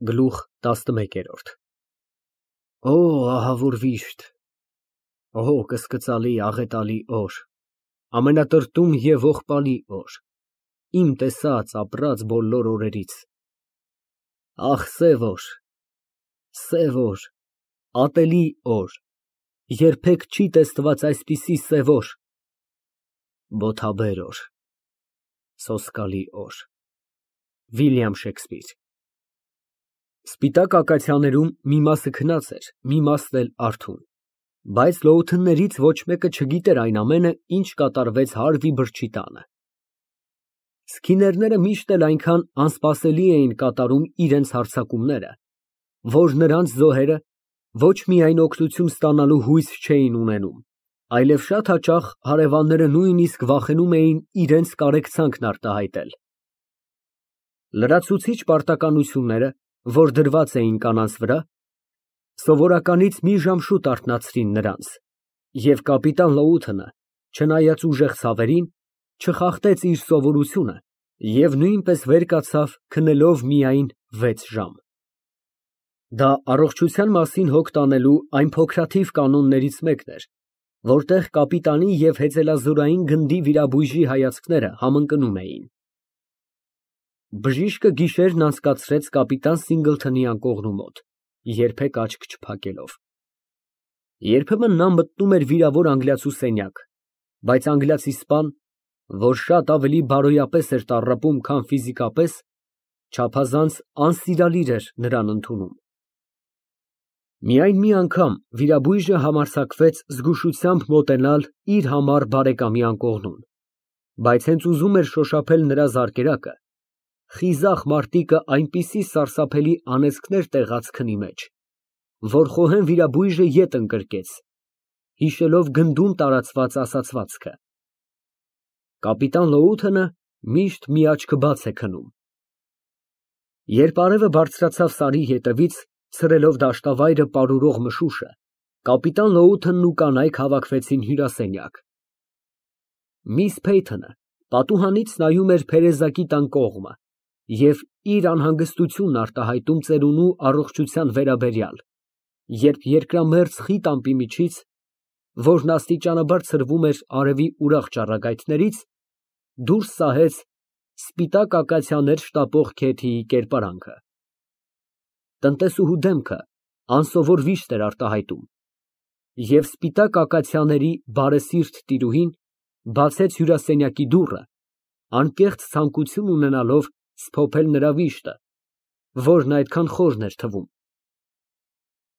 Գլուխ 11 Օ, ահավոր վիշտ, օ, կսկծալի, աղետալի օր, ամենատրտում և ողբալի օր, իմ տեսած, ապրած բոլոր օրերից, ահ, սև օր, ատելի օր, երբեք չի տեսնված այսպիսի սև օր, բոթաբեր օր, սոսկալի օր։ Վիլյամ Շեքսպիր Սպիտակ ակացիաներում մի մասը քնած էր, մի մասն էլ արթուն, բայց լոութններից ոչ մեկը չգիտեր այն ամենը, ինչ կատարվեց Հարվի Բրչի տանը։ Սքիներները միշտ էլ այնքան անսպասելի էին կատարում իրենց հարձակումները, որ նրանց զոհերը ոչ միայն օգնություն ստանալու հույս չէին ունենում, այլև շատ հաճախ հարևանները նույնիսկ վախենում էին իրենց կարեկցանքն արտահայտել։ Լրացուցիչ պարտականությունները, որ դրված էին կանանց վրա, սովորականից մի ժամ շուտ արթնացրին նրանց, և կապիտան Լոութենը, չնայած ուժեղ ցավերին, չխախտեց իր սովորությունը և նույնպես վեր կացավ քնելով միայն 6 ժամ։ Դա առողջության մասին հոգ տանելու այն փոքրաթիվ կանոններից մեկն էր, որտեղ կապիտանի և հեծելազորային գնդի վիրաբույժի հայացքները համընկնում էին։ Բժիշկը գիշերն անցկացրեց կապիտան Սինգլթոնի անկողնու մոտ, երբեք աչք չփակելով։ Երբեմն նա մտնում էր վիրավոր անգլիացու սենյակ, բայց անգլիացի սպան, որ շատ ավելի բարոյապես էր տառապում, քան ֆիզիկապես, չափազանց անսիրալիր էր նրան ընդունում։ Միայն մի անգամ վիրաբույժը համարձակվեց զգուշությամբ մոտենալ իր համառ բարեկամի անկողնուն, բայց հենց ուզում էր շոշափել նրա զարկերակը, խիզախ մարտիկը այնպիսի սարսափելի անեծքներ տեղաց քնի մեջ, որ խոհեն վիրաբույժը ետ ընկրկեց, հիշելով գնդում տարածված ասացվածքը. կապիտան Լոութենը միշտ մի աչքը բաց է քնում։ Երբ արևը բարձրացավ սարի ետևից, ցրելով դաշտավայրը պարուրող մշուշը, կապիտան Լոութենն ու կանայք հավաքվեցին հյուրասենյակ։ Միս Փեյթոնը պատուհանից նայում էր փերեզակի տան կողմը և իր անհանգստությունն արտահայտում ծերունու առողջության վերաբերյալ, երբ երկրամերձ խիտ ամպի միջից, որն աստիճանաբար ցրվում էր արևի ուրախ ճառագայթներից, դուրս սահեց սպիտակ ակացիաներ շտապող Քեթիի կերպարանքը։ Տնտեսուհու դեմքը անսովոր վիշտ էր արտահայտում, և սպիտակ ակացիաների բարեսիրտ տիրուհին բացեց հյուրասենյակի դուռը, անկեղծ ցանկություն ունենալով սփոփել նրա վիշտը, որն այդքան խորն էր թվում։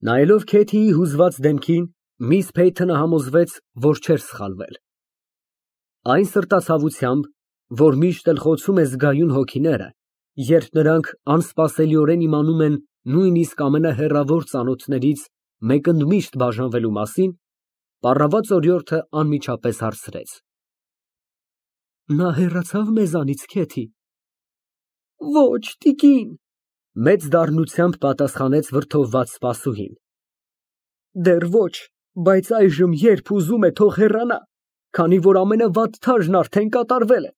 Նայելով Քեթիի հուզված դեմքին, միս Փեյթոնը համոզվեց, որ չէր սխալվել։ Այն սրտացավությամբ, որ միշտ էլ խոցում է զգայուն հոգիները, երբ նրանք անսպասելիորեն իմանում են նույնիսկ ամենահեռավոր ծանոթներից մեկընդմիշտ բաժանվելու մասին, պառաված օրիորդը անմիջապես հարցրեց. Նա հեռացավ մեզանից, Քեթի։ Ոչ, տիկին, մեծ դառնությամբ պատասխանեց վրդովված սպասուհին։ Դեռ ոչ, բայց այժմ երբ ուզում է, թող հեռանա, քանի որ ամենավատ թաժն արդեն կատարվել է։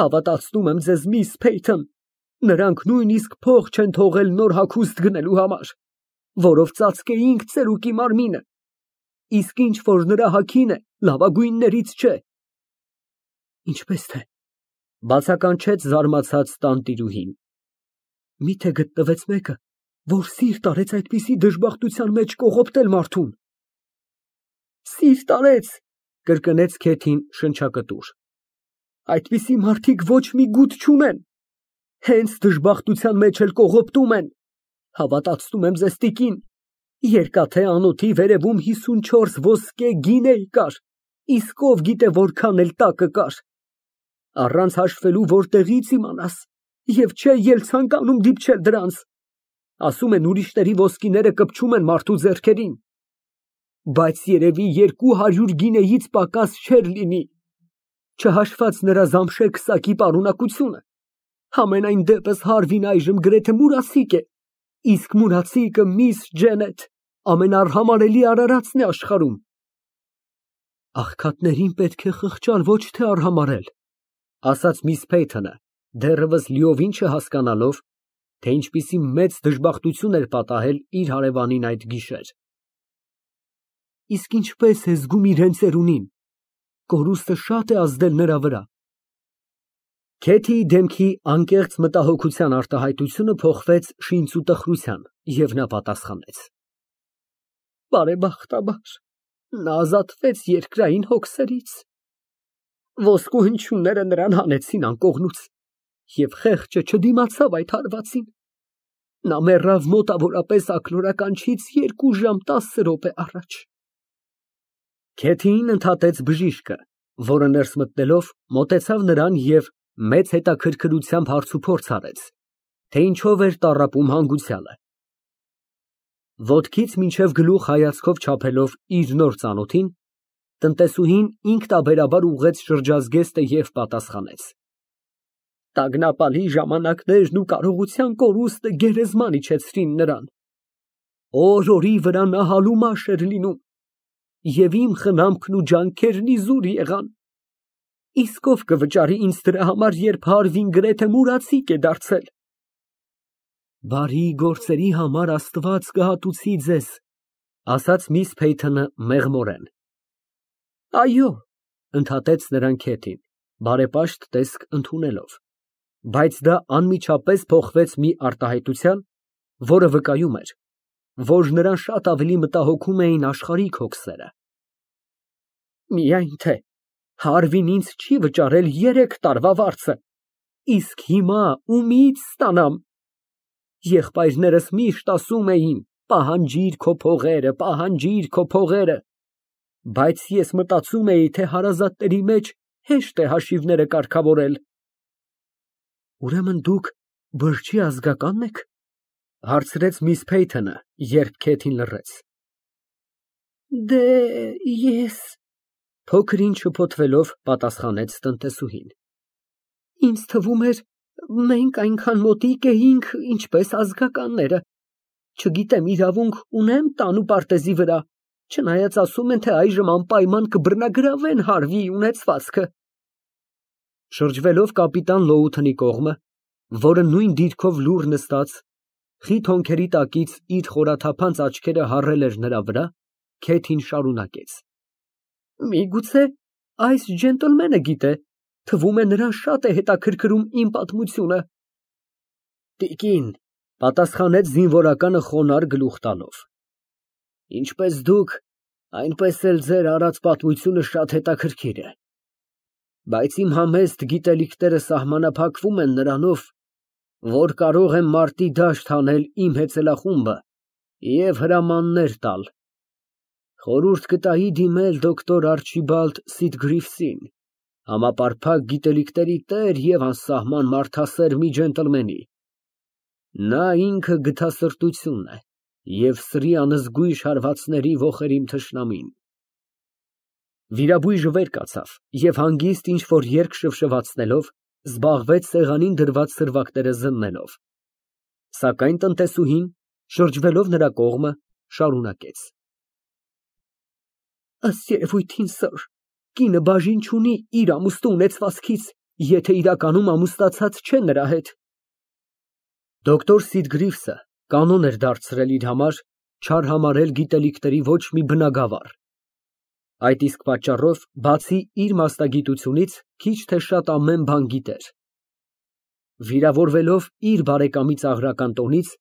Հավատացնում եմ ձեզ, միս Փեյթոն, նրանք նույնիսկ փող չեն թողել նոր հագուստ գնելու համար, որով ծածկեինք ծերուկի մարմինը, իսկ ինչ որ նրա հագին է, լավագույններից չէ։ Ինչպես թե, բացականչեց զարմացած տանտիրուհին։ Միթե գտնվեց մեկը, որ սիրտ արեց այդպիսի դժբախտության մեջ կողոպտել մարդուն։ Սիրտ արեց, կրկնեց Քեթին շնչակտուր։ Այդպիսի մարդիկ ոչ մի գութ չունեն, հենց դժբախտության մեջ էլ կողոպտում են։ Հավատացնում եմ ձեզ, տիկին, երկաթե անոթի վերևում 54 ոսկե գինեյ կար, իսկ ով գիտե որքան էլ տակը կար։ Առանց հաշվելու որտեղից իմանաս, և չէ ել ցանկանում դիպչել դրանց։ Ասում են ուրիշների ոսկիները կպչում են մարդու ձեռքերին, բայց երևի 200 գինեից պակաս չէր լինի, չհաշված նրա զամշե քսակի պարունակությունը։ Համենայն դեպս Հարվին այժմ գրեթե մուրացիկ է, իսկ մուրացիկը միս Ջենեթ ամենաարհամարհելի արարածն է աշխարհում։ Աղքատներին պետք է խղճալ, ոչ թե արհամարհել, ասաց միս Փեյթոնը, դեռևս լիովին չհասկանալով, թե ինչպիսի մեծ դժբախտություն էր պատահել իր հարևանին այդ գիշեր։ Իսկ ինչպես է զգում իրեն ծերունին, կորուստը շատ է ազդել նրա վրա։ Քեթիի դեմքի անկեղծ մտահոգության արտահայտությունը փոխվեց շինծ ու տխրության, և նա պատասխանեց. Բարեբախտաբար, նա ազատվեց երկրային հոգսերից։ Ոսկու հնչյունները նրան հանեցին անկողնուց, և խեղճը չդիմացավ այդ հարվածին։ Նա մեռավ մոտավորապես ակնօրականչից 2 ժամ 10 րոպե առաջ։ Քեթիին ընդհատեց բժիշկը, որը ներս մտնելով մոտեցավ նրան և մեծ հետաքրքրությամբ հարցուփորձ արեց, թե ինչով էր տառապում հանգուցյալը։ Ոտքից մինչև գլուխ հայացքով չափելով իր նոր ծանոթին, տնտեսուհին ինքնաբերաբար ուղղեց շրջազգեստը և պատասխանեց. Տագնապալի ժամանակներն ու կարողության կորուստը գերեզման իջեցրին նրան։ Օր֊օրի վրա նա հալումաշ էր լինում, և իմ խնամքն ու ջանքերն իզուր եղան։ Իսկ ով կվճարի ինձ դրա համար, երբ Հարվին գրեթե մուրացիկ է դարձել։ Բարի գործերի համար Աստված կհատուցի ձեզ, ասաց միս Փեյթոնը մեղմորեն։ Այո, ընդհատեց նրան Քեթին, բարեպաշտ տեսք ընդունելով, բայց դա անմիջապես փոխվեց մի արտահայտության, որը վկայում էր, որ նրան շատ ավելի մտահոգում էին աշխարհիկ հոգսերը։ Միայն թե Հարվին ինձ չի վճարել 3 տարվա վարձը, իսկ հիմա ումի՞ց ստանամ։ Եղբայրներս միշտ ասում էին. պահանջիր քո փողերը, պահանջիր քո փողերը, բայց ես մտածում էի, թե հարազատների մեջ հեշտ է հաշիվները կարգավորել։ Ուրեմն դուք բրջի ազգակա՞նն եք, հարցրեց միս Փեյթոնը, երբ Քեթին լռեց։ Դե ես, փոքր-ինչ շփոթվելով պատասխանեց տնտեսուհին։ Ինձ թվում էր, մենք այնքան մոտիկ էինք, ինչպես ազգականները։ Չգիտեմ իրավունք ունե՞մ տան ու պարտեզի վրա, չնայած ասում են, թե այժմ անպայման կբռնագրավեն Հարվիի ունեցվածքը։ Շրջվելով կապիտան Լոութոնի կողմը, որը նույն դիրքով լուռ նստած, խիտ հոնքերի տակից իր խորաթափանց աչքերը հառել էր նրա վրա, Քեթին շարունակեց. Միգուցե այս ջենտլմենը գիտե, թվում է նրան շատ է հետաքրքրում իմ պատմությունը։ Տիկին, պատասխանեց զինվորականը խոնարհ գլուխ տալով, ինչպես դուք, այնպես էլ ձեր արած պատմությունը շատ հետաքրքիր է, բայց իմ համեստ գիտելիքները սահմանափակվում են նրանով, որ կարող եմ մարտի դաշտ հանել իմ հեծելախումբը և հրամաններ տալ։ Խորհուրդ կտայի դիմել դոկտոր Արչիբալդ Սիթգրիֆսին, համապարփակ գիտելիքների տեր և անսահման մարդասեր մի ջենտլմենի։ Նա ինքը գթասրտությունն է և սրի անզգույշ հարվածների ոխերիմ թշնամին։ Վիրաբույժը վեր կացավ և հանգիստ ինչ֊որ երգ շվշվացնելով, զբաղվեց սեղանին դրված սրվակները զննելով, սակայն տնտեսուհին, շրջվելով նրա կողմը, շարունակեց. Ըստ երևույթին, սըր, կինը բաժին չունի իր ամուստու ունեցվածքից, եթե իրականում ամուսնացած չէ նրա հետ։ Դոկտոր Սիթգրիֆսը կանոն էր դարձրել իր համար չարհամարել գիտելիքների ոչ մի բնագավառ։ Այդ իսկ պատճառով, բացի իր մասնագիտությունից, քիչ թե շատ ամեն բան գիտեր։ Վիրավորվելով իր բարեկամի ծաղրական տոնից,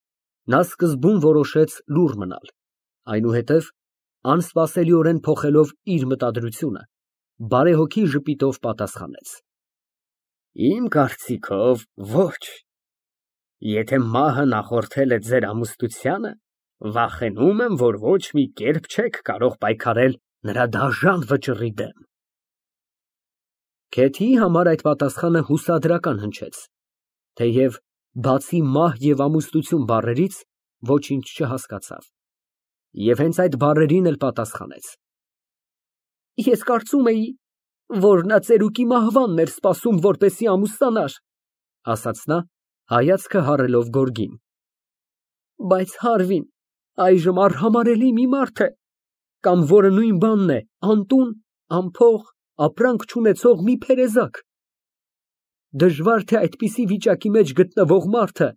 նա սկզբում որոշեց լուռ մնալ, այնուհետև, անսպասելիորեն փոխելով իր մտադրությունը, բարեհոգի ժպիտով պատասխանեց. Իմ կարծիքով, ոչ։ Եթե մահը նախորդել է ձեր ամուսնությանը, վախենում եմ, որ ոչ մի կերպ չեք կարող պայքարել նրա դաժան վճռի դեմ։ Քեթիի համար այդ պատասխանը հուսադրական հնչեց, թեև բացի մահ և ամուսնություն բառերից ոչինչ չհասկացավ, և հենց այդ բառերին էլ պատասխանեց. Ես կարծում էի, որ նա ծերուկի մահվանն էր սպասում, որպեսզի ամուսնանար, ասաց նա, հայացքը հառելով գորգին։ Բայց Հարվին այժմ արհամարհելի մի մարդ է, կամ որը նույն բանն է, անտուն, անփող, ապրանք չունեցող մի փերեզակ։ Դժվար թե այդպիսի վիճակի մեջ գտնվող մարդը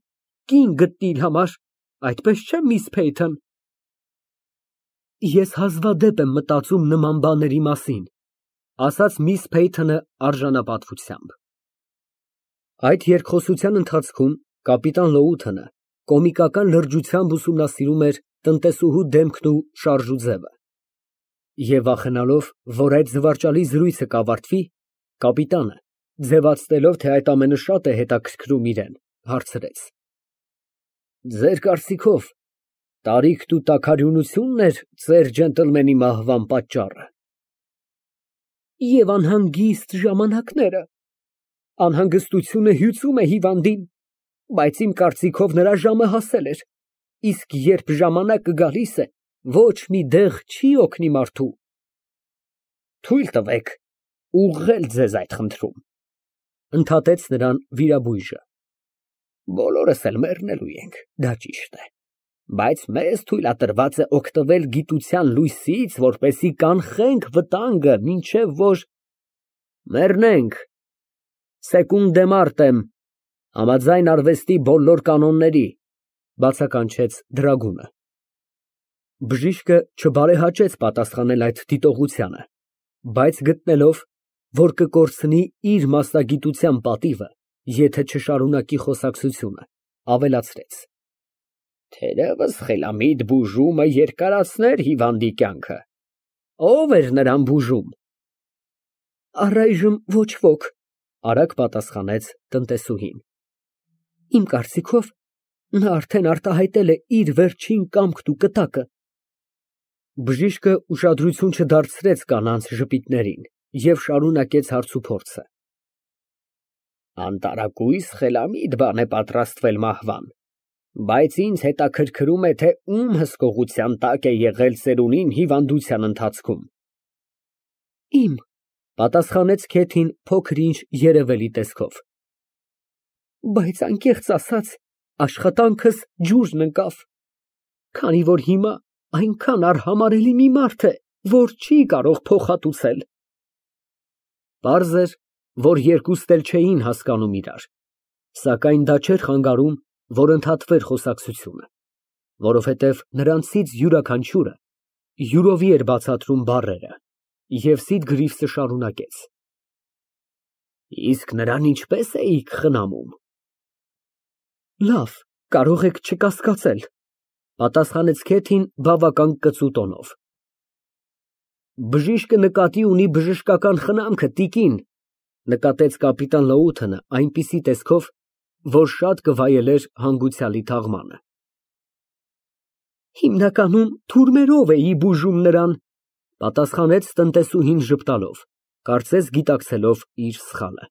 կին գտնի իր համար, այդպես չէ՞, միս Փեյթոն։ Ես հազվադեպ եմ մտածում նման բաների մասին, ասաց միս Փեյթոնը արժանապատվությամբ։ Այդ երկխոսության ընթացքում կապիտան Լոութոնը կոմիկական լրջությամբ ուսումնասիրում էր տնտեսուհու դեմքն ու շարժուձևը։ Եվ վախենալով, որ այդ զվարճալի զրույցը կավարտվի, կապիտանը, ձևացնելով, թե այդ ամենը շատ է հետաքրքրում իրեն, հարցրեց. Ձեր կարծիքով, տարիքն ու տաքարյունությունն էր ծեր ջենտլմենի մահվան պատճառը։ Եվ անհանգիստ ժամանակները։ Անհանգստությունը հյուծում է հիվանդին, բայց իմ կարծիքով նրա ժամը հասել էր, իսկ երբ ժամանակը գալիս է, ոչ մի դեղ չի օգնի մարդու։ Թույլ տվեք ուղղել ձեզ այդ խնդրում, ընդհատեց նրան վիրաբույժը։ Բոլորս էլ մեռնելու ենք, դա ճիշտ է, բայց մեզ թույլատրված է օգտվել գիտության լույսից, որպեսզի կանխենք վտանգը, մինչև որ մեռնենք։ Սեկունդե մարտեմ, համաձայն արվեստի բոլոր կանոնների, բացականչեց Դրագունը։ Բժիշկը չբարեհաճեց պատասխանել այդ դիտողությանը, բայց գտնելով, որ կկորցնի իր մասնագիտության պատիվը, եթե չշարունակի խոսակցությունը, ավելացրեց. Թերևս խելամիտ բուժումը երկարացներ հիվանդի կյանքը։ Ո՞վ էր նրան բուժում։ Առայժմ ոչ ոք, արագ պատասխանեց տնտեսուհին։ Իմ կարծիքով, նա արդեն արտահայտել է իր վերջին կամքն ու կտակը։ Բժիշկը ուշադրություն չդարձրեց կանանց ժպիտներին և շարունակեց հարցուփորձը։ Անտարակույս խելամիտ բան է պատրաստվել մահվան, բայց ինձ հետաքրքրում է, թե ում հսկողության տակ է եղել ծերունին հիվանդության ընթացքում։ Իմ, պատասխանեց Քեթին փոքր-ինչ երևելի տեսքով։ Բայց անկեղծ ասած, աշխատանքս ջուրն ընկավ, քանի որ հիմա այնքան արհամարհելի մի մարդ է, որ չի կարող փոխհատուցել։ Պարզ էր, որ երկուստ էլ չէին հասկանում իրար, սակայն դա չէր խանգարում, որ ընդհատվեր խոսակցությունը, որովհետև նրանցից յուրաքանչյուրը յուրովի էր բացատրում բառերը, և Սիդգրիվսը շարունակեց. Իսկ նրան ինչպես էիք խնամում։ Լավ, կարող եք չկասկածել, պատասխանեց Քեթին բավական կծու տոնով։ Բժիշկը նկատի ունի բժշկական խնամքը, տիկին, նկատեց կապիտան Լոութոնը այնպիսի տեսքով, որ շատ կվայելեր հանգուցյալի թաղմանը։ Հիմնականում թուրմերով էի բուժում նրան, պատասխանեց տնտեսուհին ժպտալով, կարծես գիտակցելով իր սխալը։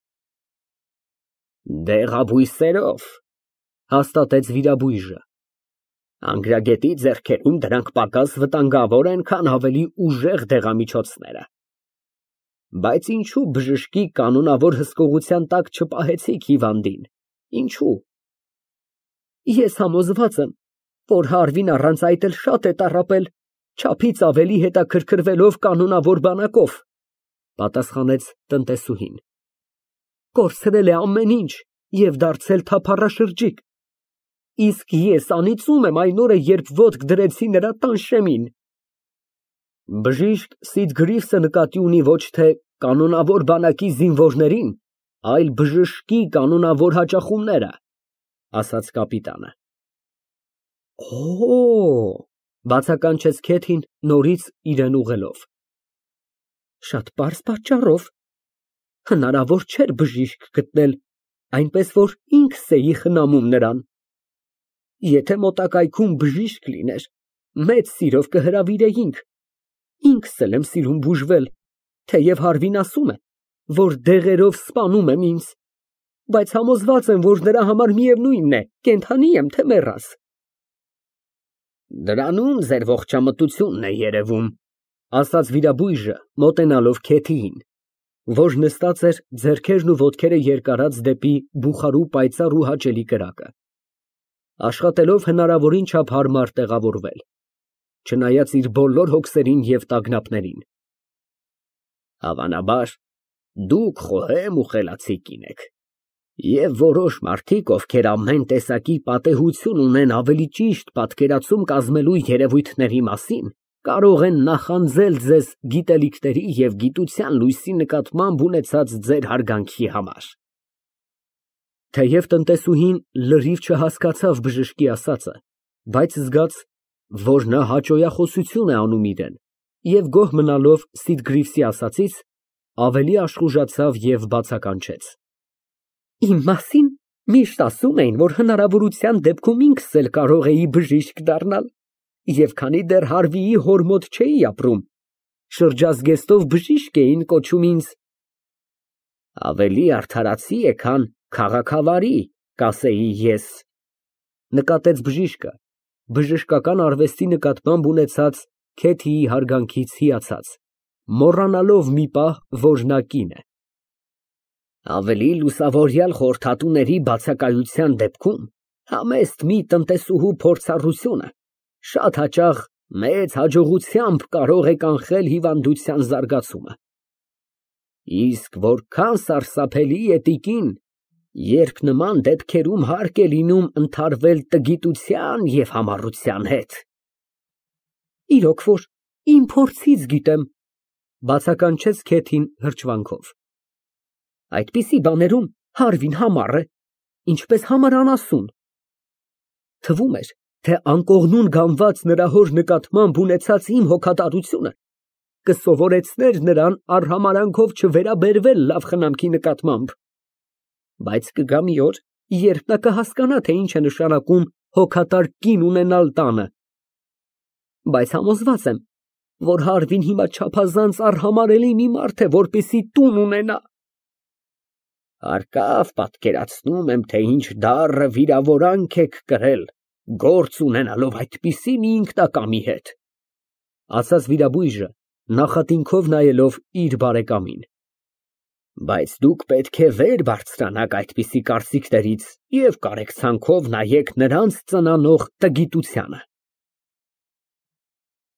Դեղաբույսերով, հաստատեց վիրաբույժը։ Անգրագետի ձեռքերում դրանք պակաս վտանգավոր են, քան ավելի ուժեղ դեղամիջոցները։ Բայց ինչու բժշկի կանոնավոր հսկողության տակ չպահեցիք հիվանդին, ինչու։ Ես համոզված եմ, որ Հարվին առանց այդ էլ շատ է տառապել, չափից ավելի հետաքրքրվելով կանոնավոր բանակով, պատասխանեց տնտեսուհին։ Կորցրել է ամեն ինչ և դարձել թափառաշրջիկ, իսկ ես անիծում եմ այն օրը, երբ ոտք դրեցի նրա տանշեմին։ Բժիշկ Սիդգրիվսը նկատի ունի ոչ թե կանոնավոր բանակի զինվորներին, այլ բժշկի կանոնավոր հաճախումները, ասաց կապիտանը։ Օ, բացականչեց Քեթին նորից իրեն ուղղելով։ Շատ պարզ պատճառով։ Հնարավոր չէր բժիշկ գտնել, այնպես որ ինքս էի խնամում նրան։ Եթե մոտակայքում բժիշկ լիներ, մեծ սիրով կհրավիրեինք։ Ինքս էլ եմ սիրում բուժվել, թեև Հարվին ասում է, որ դեղերով սպանում եմ ինձ, բայց համոզված եմ, որ նրա համար միևնույնն է, կենդանի եմ, թե մեռած։ Դրանում ձեր ողջամտությունն է երևում, ասաց վիրաբույժը, մոտենալով Քեթիին, որ նստած էր ձեռքերն ու ոտքերը երկարած դեպի բուխարու պայծառ ու հաճելի կրակը, աշխատելով հնարավորին չափ հարմար տեղավորվել, չնայած իր բոլոր հոգսերին և տագնապներին։ Հավանաբար, դուք խոհեմ ու խելացի կին եք, Եվ որոշ մարդիկ, ովքեր ամեն տեսակի պատեհություն ունեն ավելի ճիշտ պատկերացում կազմելու երևույթների մասին, կարող են նախանձել ձեզ գիտելիքների և գիտության լույսի նկատմամբ ունեցած ձեր հարգանքի համար։ Թեև տնտեսուհին լրիվ չհասկացավ բժշկի ասածը, բայց զգաց, որ նա հաճոյախոսություն է անում իրան, և գոհ մնալով Սիտգրիվսի ասածից, ավելի աշխուժացավ և բացականչեց. Իմ մասին միշտ ասում էին, որ հնարավորության դեպքում ինքս էլ կարող էի բժիշկ դառնալ, և քանի դեռ Հարվիի հոր մոտ չէի ապրում, շրջազգեստով բժիշկ էին կոչում ինձ։ Ավելի արդարացի է, քան քաղաքավարի, կասեի ես, նկատեց բժիշկը, բժշկական արվեստի նկատմամբ ունեցած Քեթիի հարգանքից հիացած, մոռանալով մի պահ, որ նա կին է։ Ավելի լուսավորյալ խորհրդատուների բացակայության դեպքում համեստ մի տնտեսուհու փորձառությունը շատ հաճախ մեծ հաջողությամբ կարող է կանխել հիվանդության զարգացումը։ Իսկ որքան սարսափելի է, տիկին, երբ նման դեպքերում հարկ է լինում ընդհարվել տգիտության և համառության հետ։ Իրոք որ իմ փորձից գիտեմ, բացականչեց Քեթին հրճվանքով։ Այդպիսի բաներում Հարվին համառ է, ինչպես համար անասուն։ Թվում էր, թե անկողնուն գանված նրա հոր նկատմամբ ունեցած իմ հոգատարությունը կսովորեցներ նրան արհամարհանքով չվերաբերվել լավ խնամքի նկատմամբ, բայց կգա մի օր, երբ նա կհասկանա, թե ինչ է նշանակում հոգատար կին ունենալ տանը, բայց համոզված եմ, որ Հարվին հիմա չափազանց արհամարհելի մի մարդ է, որպեսզի տուն ունենա։ Հարկավ պատկերացնում եմ, թե ինչ դառը վիրավորանք եք կրել, գործ ունենալով այդպիսի մի ինքնակամի հետ, ասաց վիրաբույժը, նախատինքով նայելով իր բարեկամին։ Բայց դուք պետք է վեր բարձրանաք այդպիսի կարծիքներից և կարեկցանքով նայեք նրանց ծնանող տգիտությանը։